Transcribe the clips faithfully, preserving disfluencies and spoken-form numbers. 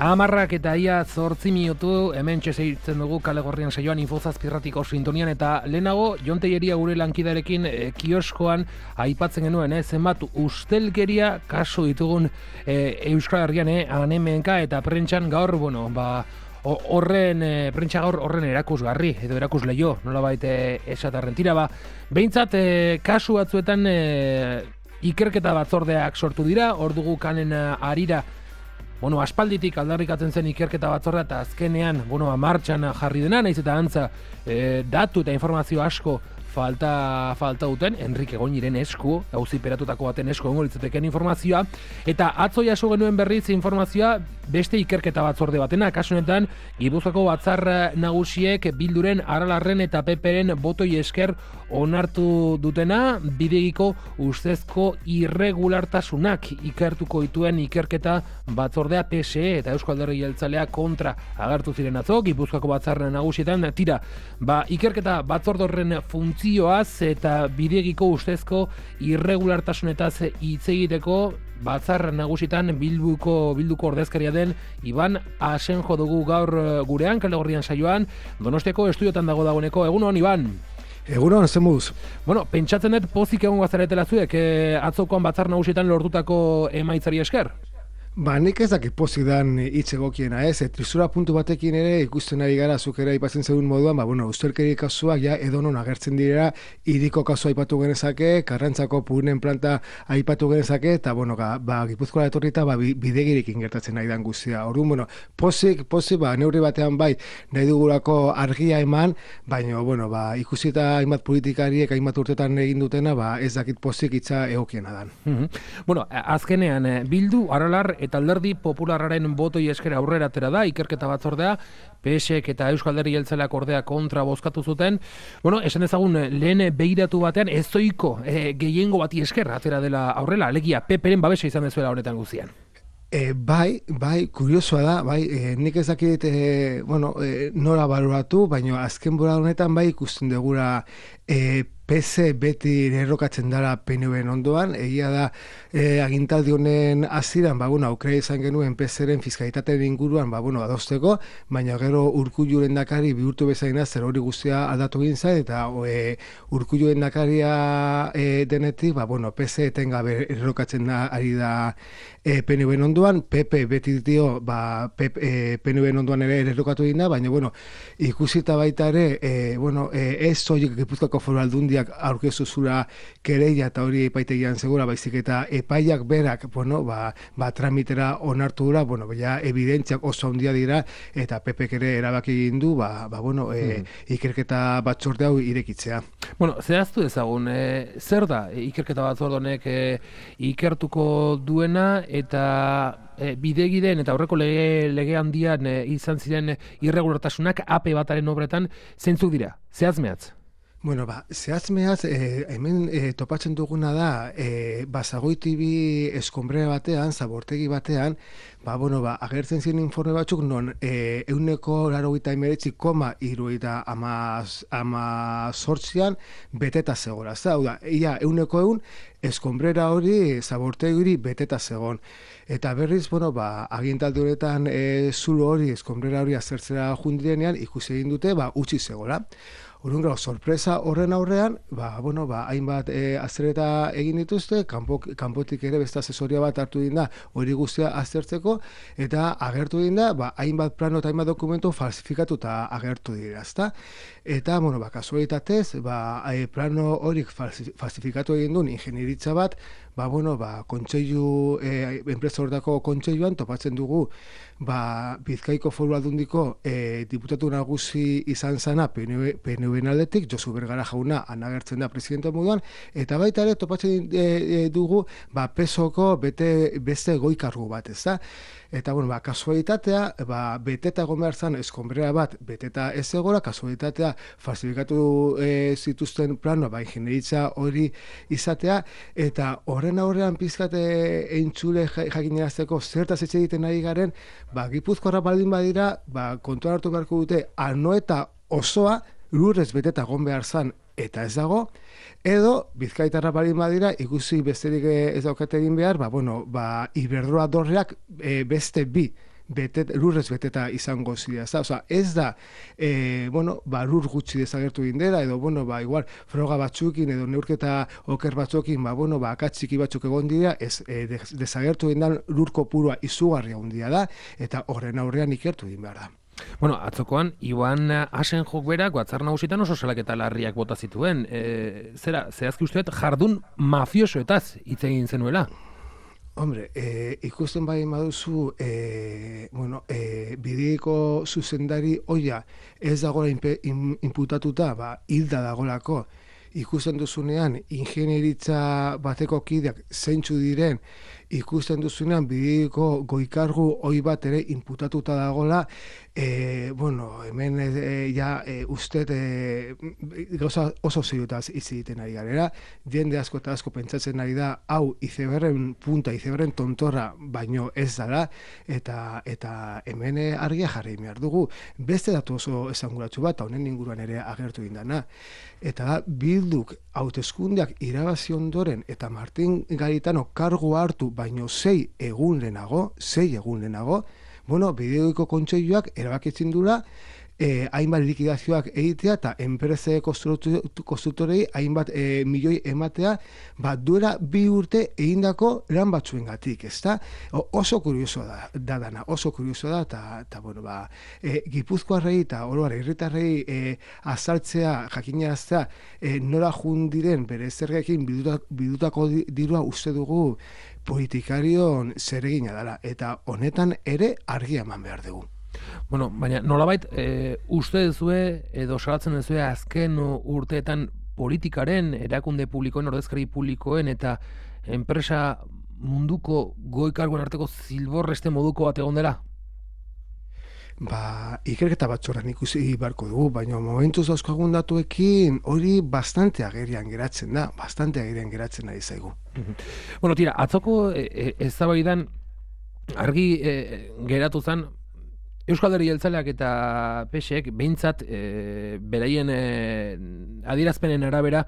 Amarrak eta ia zortzi minutu hemen txeseitzen dugu Kale Gorrian saioan Infozazpirratiko sintonian, eta lehenago Jon Telleria gure lankidarekin e, kioskoan aipatzen genuen, eh, zenbat ustelkeria kasu ditugun e, Euskal Herrian, eh, anemenka eta prentxan gaur, bueno, ba, horren, e, prentxa gaur horren erakusgarri, edo erakusleio, nolabait e, esatarren tira, ba, behintzat e, kasu batzuetan e, ikerketa batzordeak sortu dira, hor dugu kanen arira. Bueno, aspalditik aldarrikatzen zen ikerketa batzordea eta azkenean, bueno, martxan jarri dena, naiz eta antza e, datu eta informazio asko falta falta duten, Enrique Goñiren esku, auziperatutako baten esku egongo litzateken informazioa, eta atzo jaso genuen berriz informazioa beste ikerketa batzorde batena, kasu honetan Gipuzkoako batzar nagusiek Bilduren, Aralarren eta Peperen botoi esker onartu dutena bidegiko ustezko irregulartasunak ikertuko dituen ikerketa batzordea P S E eta Eusko Alderdi Jeltzalea kontra agertu ziren atzo Gipuzkoako batzar nagusietan. Tira, ba, ikerketa batzorde horren funtzioaz eta bidegiko ustezko irregulartasunetaz hitz egiteko batzar nagusitan bilduko bilduko ordezkaria den Iban Asenjo dugu gaur gurean Kale Gorrian saioan. Donostiako estudiotan dago dagoeneko. Egunon, Iban. Egunon, zemuz. Bueno, pentsatzen dut pozik egon gazaretela zuek, eh, atzokoan batzar nagusietan lortutako emaitzari esker? Ba, nik ez dakit pozik dan hitz egokiena, ez? Trisura puntu batekin ere ikusten ari gara zuk ere aipatzen zeuden moduan, ba, bueno, ustelkeri kasuak ja edonon agertzen direra, hiriko kasua aipatu genezake, Karrantzako punen planta aipatu genezake, eta, bueno, ga, ba, Gipuzkoara etorrita, ba, bidegirikin gertatzen nahi dan guztia. Orduan, bueno, pozik, pozik, ba, neurri batean bai, nahi dugulako argia eman, baina, bueno, ba, ikusita hainbat politikariek hainbat urtetan egin dutena, ba, ez dakit pozik hitza egokiena dan. Mm-hmm. Bueno, azkenean, Bildu, Aralar eta Alderdi Popularraren botoi esker aurrera atera da ikerketa batzordea, P S E eta Euskal Alderdi Jeltzaleak ordea kontra bozkatu zuten. Bueno, esan ezagun lehen begiratu batean ezoiko e, gehiengo bati esker atera dela aurrela, alegia Peperen babesa izan dezuela honetan guztian. E, bai, bai, kuriosoa da, bai, e, nik ez dakit, e, bueno, e, nora baloratu, baina azken bora honetan bai ikusten degura e, P S E beti errokatzen dara P N V-en ondoan, egia da e, agintaldi honen hasieran, ba, bueno, aukera izan genuen P S E-ren fiskalitateen inguruan, ba, bueno, adosteko, baina gero Urkullu lehendakari bihurtu bezaina zer hori guztia aldatu egin zain, eta e, Urkullu lehendakaria e, denetik, ba, bueno, P S E etengabe errokatzen da, ari da e, P N V-en ondoan, P P beti dio, ba, P N V-en ondoan ere errokatu egin da, baina, bueno, ikusita baita ere, e, bueno, e, ez soilik Gipuzkoako Foru Aldundia aurkezu zura kereia eta hori epaitegian segura, baizik eta epaiak berak, bueno, ba, ba tramitera onartu dura, bueno, ja, evidentziak oso handia dira, eta P Pek ere erabaki egin du, ba, ba bueno, e, mm. ikerketa batzorde hau irekitzea. Bueno, zehaztu ezagun, e, zer da ikerketa batzorde honek e, ikertuko duena, eta e, bidegideen eta aurreko lege, lege handian e, izan ziren irregulartasunak A P bataren obretan zeintzuk dira, zehazmehatz? Bueno, ba, zehazmeaz, eh, hemen eh, topatzen duguna da, eh, Basagoitibi eskonbrera batean, zabortegi batean, ba, bueno, ba, agertzen ziren informe batzuk, non eh, euneko larogeita emeretzi koma iruita ama sortzian beteta zegoela. Hau da, ia euneko eun eskonbrera hori, zabortegi hori beteta zegon. Eta berriz, bueno, ba, agintaldi honetan e, zulo hori, eskonbrera hori azertzera jundirenean, ikusi egin dute, ba, utzi zegoela. Orduan, gero, sorpresa horren aurrean, ba, bueno, ba, hainbat e, aztereta egin dituzte, kanpo, kanpotik ere beste asesoria bat hartu egin da, hori guztia aztertzeko, eta agertu egin da, ba, hainbat plano eta hainbat dokumentu falsifikatu eta agertu dira, ezta? Eta, bueno, ba, kasualitatez, ba, e, plano horik falsifikatu egin duen ingenieritza bat, ba, bueno, ba, kontseilu, e, enpresa horretako kontseiluan topatzen dugu, ba, Bizkaiko Foru Aldundiko e, diputatu nagusi izan zana P N V-en aldetik, Josu Bergara jauna anagertzen da presidente moduan, eta baita ere topatzen e, e, dugu, ba, P S O-ko bete, beste goi-kargu bat, ez da? Eta, bueno, ba, kasualitatea, ba, beteta egon behar zan, eskonbrera bat, beteta ez egora, kasualitatea falsifikatu e, zituzten plano, ba, ingenieritza hori izatea, eta horren aurrean pizkate entzule jakinerazteko zertaz etxe egiten ari garen, ba, Gipuzkoarra baldin badira, ba, kontuan hartu beharko dute, anoeta osoa lurrez beteta egon behar zan, eta ez dago, edo Bizkaitarra baldin badira, ikusi besterik ez daukate egin behar, ba, bueno, ba, Iberdrola dorreak e, beste bi betet, lurrez beteta izango zira. Osa, ez da, e, bueno, ba, lur gutxi desagertu indera, edo, bueno, ba, igual, froga batzukin, edo neurketa oker batzukin, ba, bueno, ba, akatziki batzuk egon dira, ez, e, desagertu indan lur kopurua izugarria hundia da, eta horren aurrean ikertu din behar da. Bueno, atzokoan, Iban Asenjok berak, batzar nagusitan oso salaketa larriak bota zituen. E, zera, zehazki usteet, jardun mafiosoetaz hitz egin zenuela? Hombre, e, ikusten bai maduzu, e, bueno, e, bideiko zuzendari oia ez dagoela inputatuta, ba, hilda dagolako, ikusten duzunean, ingenieritza bateko kideak zeintzu diren, ikusten duzunean bideiko goikargu oi bat ere inputatuta dagola, e, bueno, hemen e, ja e, uste e, gauza oso zirutaz hitz egiten ari garera, jende asko eta asko pentsatzen ari da, hau izeberren punta, izeberren tontorra baino ez dara, eta eta hemen argia jarri behar dugu. Beste datu oso esanguratsu bat, honen inguruan ere agertu indana. Eta da, Bilduk hauteskundeak irabazi ondoren eta Martin Garitano kargu hartu baino sei egun lehenago, sei egun lehenago, bueno, bideoiko kontseiluak erabakitzen dura, eh, hainbat likidazioak egitea eta enprese konstruktorei hainbat eh, milioi ematea, bat duela bi urte egindako lan batzuengatik, ezta? Oso kurioso da, da dana, oso kurioso da, eta, bueno, ba, e, Gipuzkoarrei eta oroar herritarrei e, azaltzea, jakinaraztea, e, nora jundiren bere zergekin bidutako dirua uste dugu politikarion zeregina dela, eta honetan ere argia eman behar dugu. Bueno, baina nolabait e, uste duzue edo salatzen duzue azken urteetan politikaren, erakunde publikoen, ordezkari publikoen eta enpresa munduko goi karguen arteko zilborreste moduko bat egon dela? Ba, ikerketa batzorran ikusi barko dugu, baina momentuz dauzkagun datuekin hori bastante agerian geratzen da, bastante agerian geratzen ari zaigu. Bueno, tira, atzoko e, e, eztabaidan argi e, geratu zen Euskal Alderdi Jeltzaleak eta P S ek behintzat e, beraien e, adierazpenen arabera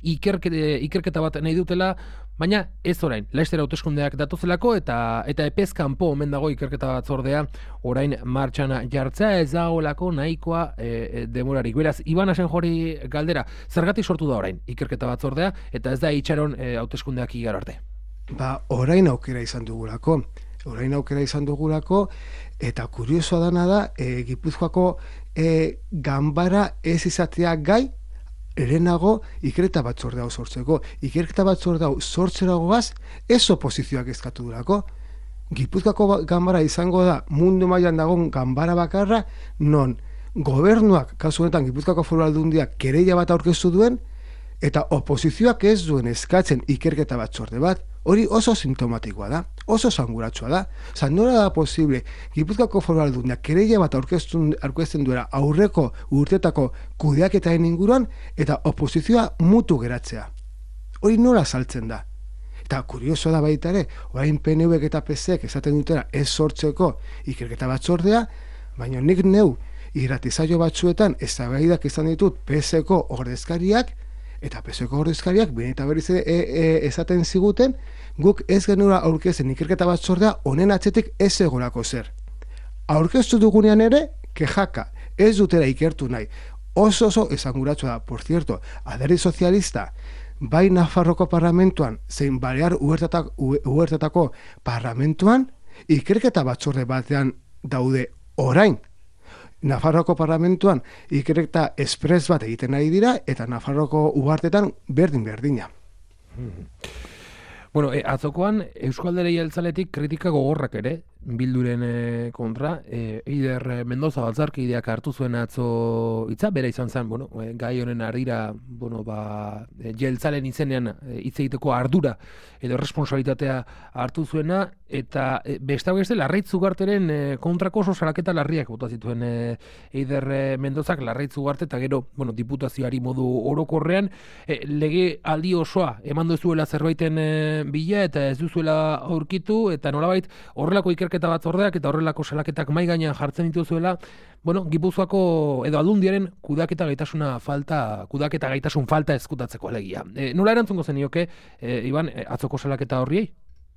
ikerketa, ikerketa bat nahi dutela, baina ez orain, laster hauteskundeak datozelako eta eta epez kanpo omen dago ikerketa batzordea orain martxan jartzea ez dagoelako nahikoa e, demorarik. Beraz, Iban Asenjori galdera, zergatik sortu da orain ikerketa batzordea eta ez da itxaron e, hauteskundeak igaro arte? Ba, orain aukera izan dugulako. Orain aukera izan dugulako, eta kuriosoa dana da, e, Gipuzkoako e, ganbara ez izatea gai, erenago ikerketa batzorde hau sortzeko. Ikerketa batzorde hau sortzeragoaz, ez oposizioak eskatu durako. Gipuzkoako ganbara izango da, mundu mailan dagoen ganbara bakarra, non gobernuak, kasu honetan Gipuzkoako Foru Aldundiak kereila bat aurkeztu duen, eta oposizioak ez duen eskatzen ikerketa batzorde bat, hori oso sintomatikoa da, oso sanguratsua da. Osa, nola da posible, Gipuzkoako Foru Aldundiak kereila bat aurkezten duela aurreko urtetako kudeaketaren inguruan, eta oposizioa mutu geratzea. Hori nola saltzen da. Eta kurioso da baita ere, orain P N Vek eta P S ek esaten dutela ez sortzeko ikerketa batzordea, baina nik neu irratisaio batzuetan eztabaidak izan ditut P S eko ordezkariak, eta P S eko ordezkariak bine eta berriz e, e, esaten ziguten, guk ez genura aurkezen ikerketa batzordea honen atzetik ez egorako zer. Aurkeztu dugunean ere, kejaka, ez dutera ikertu nahi. Oso oso esanguratsu da, por cierto, Alderdi Sozialista, bai Nafarroko parlamentuan, zein Balear Huertatako parlamentuan, ikerketa batzorde batean daude orain. Nafarroko parlamentuan ikerketa espres bat egiten ari dira, eta Nafarroko uhartetan berdin-berdina. Bueno, e, atzokoan Euskal Alderdi Jeltzaletik kritika gogorrak ere, Bilduren e, kontra, e, Eider Mendoza batzarkideak hartu zuen atzo hitza, bera izan zen, bueno, e, gai honen ardira, bueno, ba, e, jeltzalen izenean hitz egiteko ardura edo responsabilitatea hartu zuena, eta e, besta beste Larraitz Ugarteren e, kontrako oso salaketa larriak bota zituen e, Eider Mendozak Larraitz Ugarte, eta gero, bueno, diputazioari modu orokorrean, e, lege aldi osoa eman duzuela zerbaiten e, bila, eta ez duzuela aurkitu, eta nolabait horrelako ikerketa batzordeak eta horrelako salaketak mai gainean jartzen dituzuela, bueno, Gipuzkoako edo Aldundiaren kudeaketa gaitasuna falta, kudeaketa gaitasun falta ezkutatzeko alegia. E, nola erantzungo zenioke, e, Iban, e, atzoko salaketa horriei?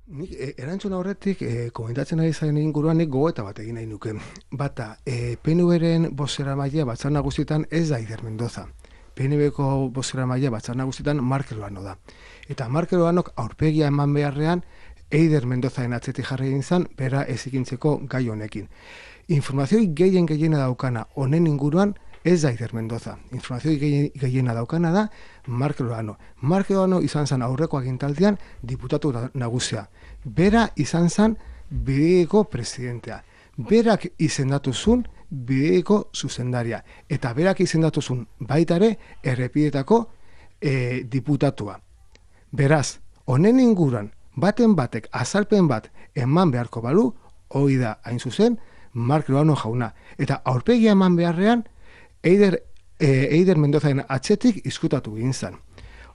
Nik e, erantzun aurretik e, komentatzen ari zaren inguruan nik gogoeta bat egin nahi nuke. Bata, e, P N V-ren bozera maila batzar nagusietan ez da Eider Mendoza. P N V-ko bozera maila batzar nagusietan Markel Olano da. Eta Markel Olanok aurpegia eman beharrean Eider Mendozaren atzetik jarri egin zen, bera ezikintzeko gai honekin. Informazioi gehien gehiena daukana honen inguruan ez da Eider Mendoza. Informazioi gehiena daukana da Markel Olano. Markel Olano izan zen aurreko agintaldian diputatu nagusia. Bera izan zen bideiko presidentea. Berak izendatu zuen bideiko zuzendaria. Eta berak izendatu zuen baita ere errepidetako e, diputatua. Beraz, honen inguruan baten batek azalpen bat eman beharko balu, hori da hain zuzen Markel Olano jauna. Eta aurpegia eman beharrean Eider, e, Eider Mendozaren atzetik izkutatu egin zen.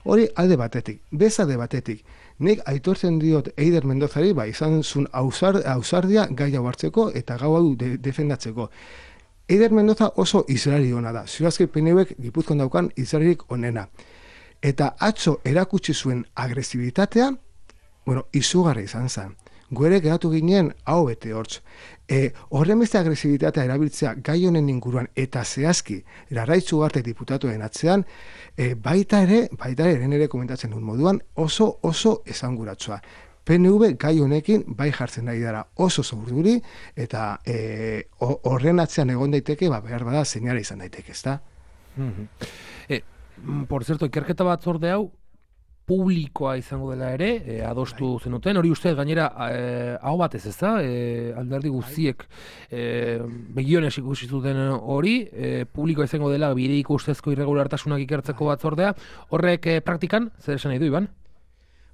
Hori alde batetik, bez alde batetik. Nik aitortzen diot Eider Mendozari, ba, izan zuen ausar, ausardia gai hau hartzeko eta gau hau de, defendatzeko. Eider Mendoza oso izrari hona da. Ziurazki P N V-ek Gipuzkoan daukan izrarik onena. Eta atzo erakutsi zuen agresibitatea, bueno, izugarri izan zen. Guere geratu ginen hau bete hortz. E, horren beste agresibitatea erabiltzea gai honen inguruan eta zehazki Larraitz Ugarte diputatuen atzean, e, baita ere, baita ere, ere komentatzen duen moduan, oso oso esanguratsua. P N V gai honekin bai jartzen nahi dara oso zaurduri eta e, horren atzean egon daiteke, ba, behar bada seinale izan daiteke, ezta? Mm-hmm. E, por cierto, ikerketa batzorde hau publikoa izango dela ere, e, adostu zenuten, hori uste gainera e, hau batez ez da, e, alderdi guztiek e, begionez ikusi zuten hori, e, publikoa izango dela bideiko ustezko irregulartasunak ikertzeko batzordea, horrek e, praktikan, zer esan nahi du, Iban?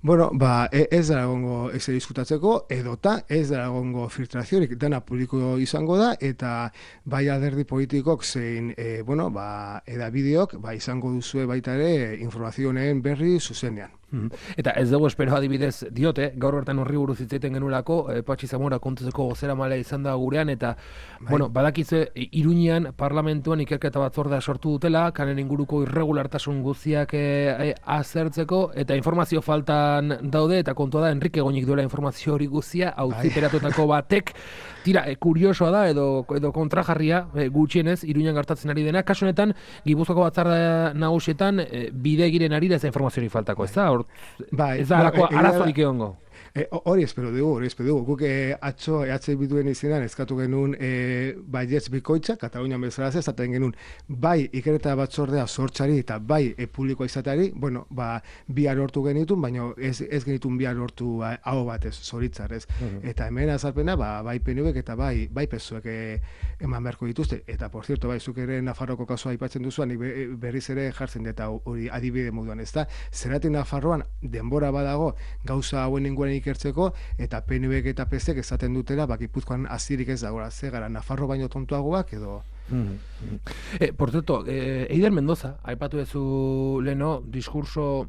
Bueno, ba, ez da egongo ezer diskutatzeko, edota ez da egongo filtraziorik, dana publiko izango da, eta bai alderdi politikok zein, e, bueno, ba, edabideok, ba, izango duzue baita ere informazio honen berri zuzenean. Eta ez dugu espero adibidez diote, gaur bertan horri buruz hitz egiten genulako, e, Patxi Zamora kontuzeko gozera mala izan da gurean, eta bai. Bueno, badakitze Iruñean parlamentuan ikerketa batzordea sortu dutela, kanen inguruko irregulartasun guztiak e, e, azertzeko, eta informazio faltan daude, eta kontua da Enrique Goñik duela informazio hori guztia, auziperatutako batek, tira, e, kuriosoa da, edo, edo kontrajarria, e, gutxienez, Iruñean gertatzen ari dena, kasu honetan, Gipuzkoako batzar nagusietan, e, bide giren ari da ez informazioari faltako, ez da? Bai, ez da alako arazorik egongo. Hori espero dugu, hori espero dugu. Guk eh, atzo E H Bilduen izenan eskatu genuen eh, baietz bikoitza, Katalunian bezala ez, esaten genuen bai ikerketa batzordea sortzari eta bai e, publikoa izateari, bueno, ba, bihar hortu genitun, baina ez, ez genitun bihar hortu ba, hau batez, zoritzar ez. Uh -huh. Eta hemen azalpena, ba, bai P N V-ek eta bai, bai pezuek eh, eman beharko dituzte. Eta, por cierto, bai, zuk ere Nafarroko kasua aipatzen duzuan, nik berriz ere jartzen eta hori adibide moduan, ez da? Zeratik Nafarroan denbora badago gauza hauen inguren ikertzeko, eta P N V-ek eta P S-ek esaten dutela, ba, Gipuzkoan azirik ez dagoela, ze gara Nafarro baino tontuagoak edo... Mm-hmm. eh, por cierto, eh, Eider Mendoza, aipatu duzu leno, diskurso,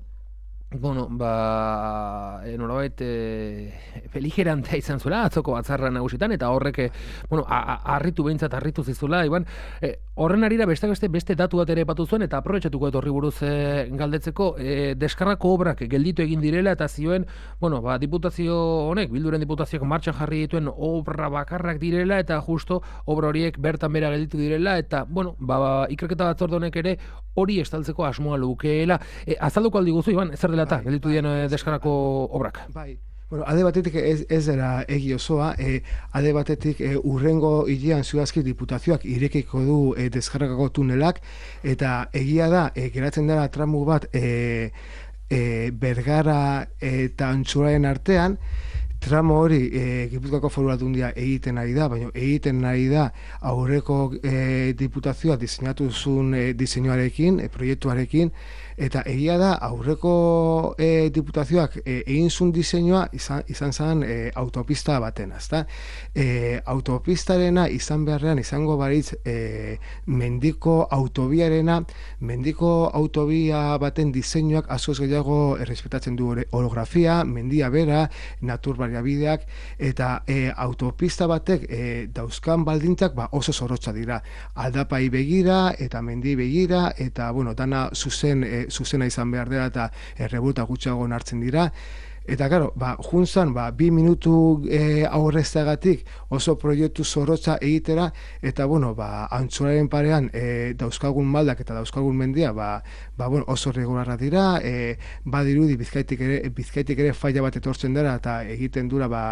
bueno, ba, eh, nolabait, eh, beligerantea izan zuela, atzoko batzarra nagusitan, eta horrek, eh, bueno, harritu behintzat, harritu zizula, Iban, eh, horren arira beste beste beste datu bat ere epatu zuen, eta aprobetxatuko dut horri buruz eh, galdetzeko, eh, deskargako obrak gelditu egin direla, eta zioen, bueno, ba, diputazio honek, Bilduren diputazioak martxan jarri dituen obra bakarrak direla, eta justo obra horiek bertan bera gelditu direla, eta, bueno, ba, ba ikerketa batzorde honek ere hori estaltzeko asmoa lukeela. Eh, azalduko aldi guzu, Iban, zer dela eta bai, gelditu dien bai, deskargako obrak? Bai. Bueno, alde batetik ez, ez dela egi osoa, e, alde batetik e, urrengo hilean zuazki diputazioak irekiko du e, deskargako tunelak, eta egia da, e, geratzen dela tramu bat e, e, Bergara eta Antxuraren artean, tramo hori e, Gipuzkoako Foru Aldundia egiten ari da, baina egiten ari da aurreko e, diputazioa diseinatu zuen e, diseinuarekin, e, proiektuarekin, eta egia da aurreko e, diputazioak e, egin zuen diseinua izan, izan zen e, autopista baten, ezta? E, autopistarena izan beharrean izango baritz e, mendiko autobiarena, mendiko autobia baten diseinuak askoz gehiago errespetatzen du orografia, mendia bera, natur baliabideak, eta e, autopista batek e, dauzkan baldintzak ba, oso zorrotza dira. Aldapai begira eta mendi begira, eta bueno, dana zuzen e, zuzena izan behar dela eta errebuelta gutxiago hartzen dira. Eta, karo, ba, juntzan, ba, bi minutu e, aurrezteagatik oso proiektu zorrotza egitera, eta, bueno, ba, antxuraren parean e, dauzkagun maldak eta dauzkagun mendia, ba, ba bueno, oso regularra dira, e, badirudi bizkaitik ere, bizkaitik ere faila bat etortzen dara, eta egiten dura, ba,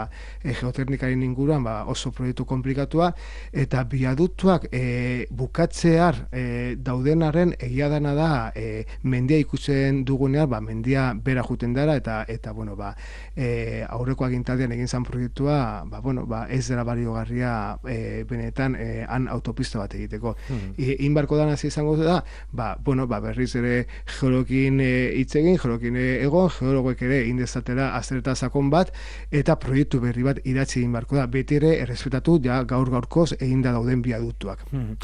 e, geoteknikaren inguruan, ba, oso proiektu komplikatua, eta biaduktuak e, bukatzear e, daudenaren egia dana da, e, mendia ikusten dugunean, ba, mendia bera juten dara, eta, eta bueno, ba, e, aurreko agintaldian egin zan proiektua, ba, bueno, ba, ez dela baliogarria e, benetan e, han autopista bat egiteko. Mm. E, inbarko dana izango da, ba, bueno, ba, berriz ere geolokin hitz egin, geolokin egon, geologoek ere indezatera aztereta sakon bat, eta proiektu berri bat idatzi egin barko da, beti ere errespetatu ja gaur gaurkoz eginda dauden biaduktuak. Mm.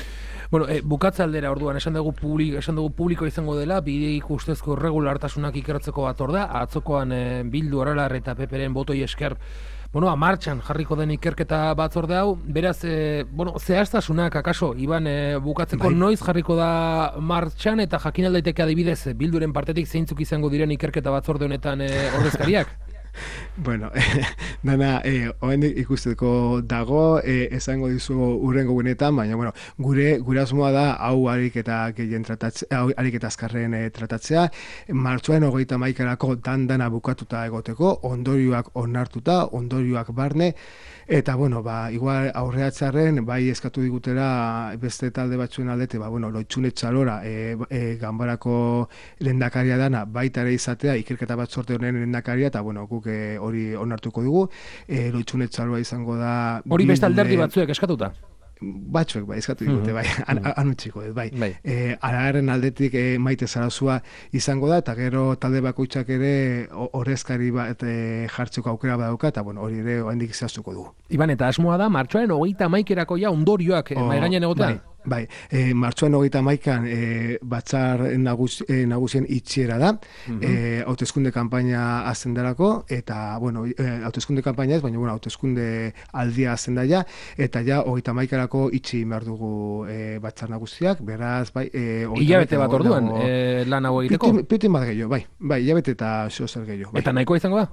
Bueno, e, bukatze aldera orduan, esan dugu, publiko, esan dugu publiko izango dela, bideik ustezko irregulartasunak ikertzeko batzordea, atzokoan e, Bildu Aralar eta Peperen botoi esker, bueno, martxan jarriko den ikerketa batzorde hau, beraz, e, bueno, zehaztasunak, akaso, Iban, e, bukatzeko bai. Noiz jarriko da martxan, eta jakin aldaiteke adibidez, Bilduren partetik zeintzuk izango diren ikerketa batzorde honetan e, ordezkariak? Bueno, dana, eh, oen ikusteko dago, eh, esango dizu urrengo gunetan, baina, bueno, gure, gure asmoa da, hau harik eta gehien tratatzea, hau harik eta azkarren eh, tratatzea, martxoaren hogeita maikarako dan-dana bukatuta egoteko, ondorioak onartuta, ondorioak barne, eta, bueno, ba, igual aurreatzarren, bai eskatu digutera beste talde batzuen aldete, ba, bueno, Loitxune Txalora, e, e, ganbarako lehendakaria dana, baita ere izatea, ikerketa batzorde honen lehendakaria, eta, bueno, guk hori onartuko dugu, e, Loitxune Txaloa izango da... Hori beste alderdi batzuek eskatuta? Batzuek, bai, eskatu digute, bai, anutziko, bai. bai. E, Aragaren aldetik e, Maite Zarazua izango da, eta gero talde bakoitzak ere horrezkari bat e, jartzeko aukera badauka, eta bueno, hori ere oraindik zehaztuko dugu. Iban, eta asmoa da, martxoaren hogeita hamaikaerako ja ondorioak oh, mahai gainean egotea? Bai. Bai, e, martxoan hogeita hamaikan e, batzar nagus, e, nagusien itxiera da, mm-hmm. e, hauteskunde kanpaina hasten darako, eta, bueno, e, hauteskunde kanpaina ez, baina, bueno, hauteskunde aldia hasten da ja, eta ja, hogeita hamaikarako itxi behar dugu e, batzar nagusiak, beraz, bai... E, hilabete bat orduan, dago, e, lan hau egiteko? Pitin, pitin bat gehiago, bai, bai, hilabete eta zozer gehiago. Bai. Eta nahikoa izango da?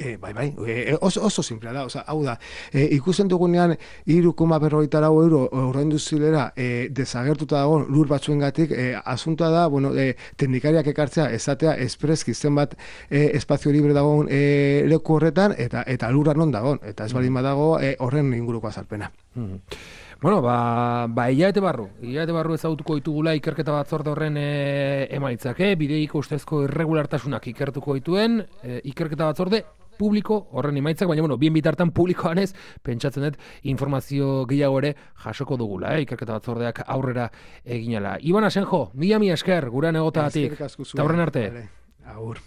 E, bai, bai, e, oso, oso simplea da, oza, hau da, e, ikusten dugunean hiru koma berrogeita lau euro ordaindu zilera e, desagertuta dago lur batzuengatik, e, asuntoa da, bueno, e, teknikariak ekartzea, esatea, espreski zenbat e, espazio libre dagoen e, leku horretan, eta eta lurra non dagoen, eta ez baldin badago e, horren inguruko azalpena. Mm. Bueno, ba, ba hilabete barru, hilabete barru ezagutuko ditugula ikerketa batzorde horren e, emaitzak, eh? Bideiko ustezko irregulartasunak ikertuko dituen, e, ikerketa batzorde publiko horren emaitzak, baina, bueno, bien bitartan publikoan ez, pentsatzen dut informazio gehiago ere jasoko dugula, eh? Ikerketa batzordeak aurrera eginala. Iban Asenjo, mila mila esker, gurean egotagatik, eta horren arte. Agur.